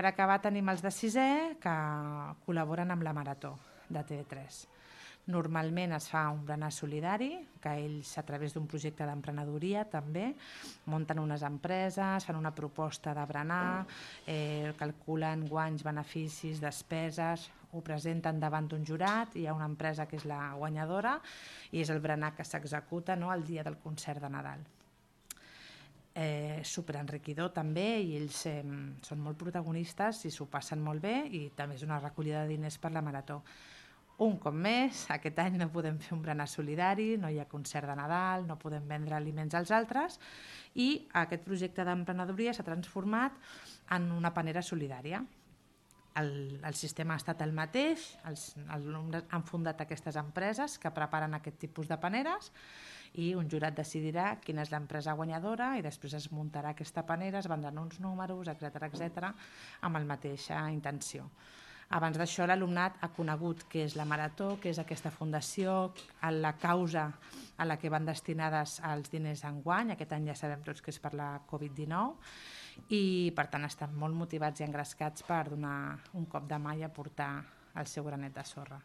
Per acabar tenim els de sisè que col·laboren amb la Marató de TV3. Normalment es fa un berenar solidari, que ells a través d'un projecte d'emprenedoria també munten unes empreses, fan una proposta de berenar, calculen guanys, beneficis, despeses, ho presenten davant d'un jurat, hi ha una empresa que és la guanyadora i és el berenar que s'executa el dia del concert de Nadal. Superenriquidor també i ells són molt protagonistes i s'ho passen molt bé i també és una recollida de diners per la Marató. Un cop més, aquest any no podem fer un berenar solidari, no hi ha concert de Nadal, no podem vendre aliments als altres i aquest projecte d'emprenedoria s'ha transformat en una panera solidària. El sistema ha estat el mateix, els alumnes han fundat aquestes empreses que preparen aquest tipus de paneres i un jurat decidirà quina és l'empresa guanyadora i després es muntarà aquesta panera, es vendran uns números, etc amb la mateixa intenció. Abans d'això l'alumnat ha conegut què és la Marató, què és aquesta fundació, la causa a la que van destinades els diners enguany, aquest any ja sabem tots que és per la Covid-19 i per tant estan molt motivats i engrescats per donar un cop de mà i aportar el seu granet de sorra.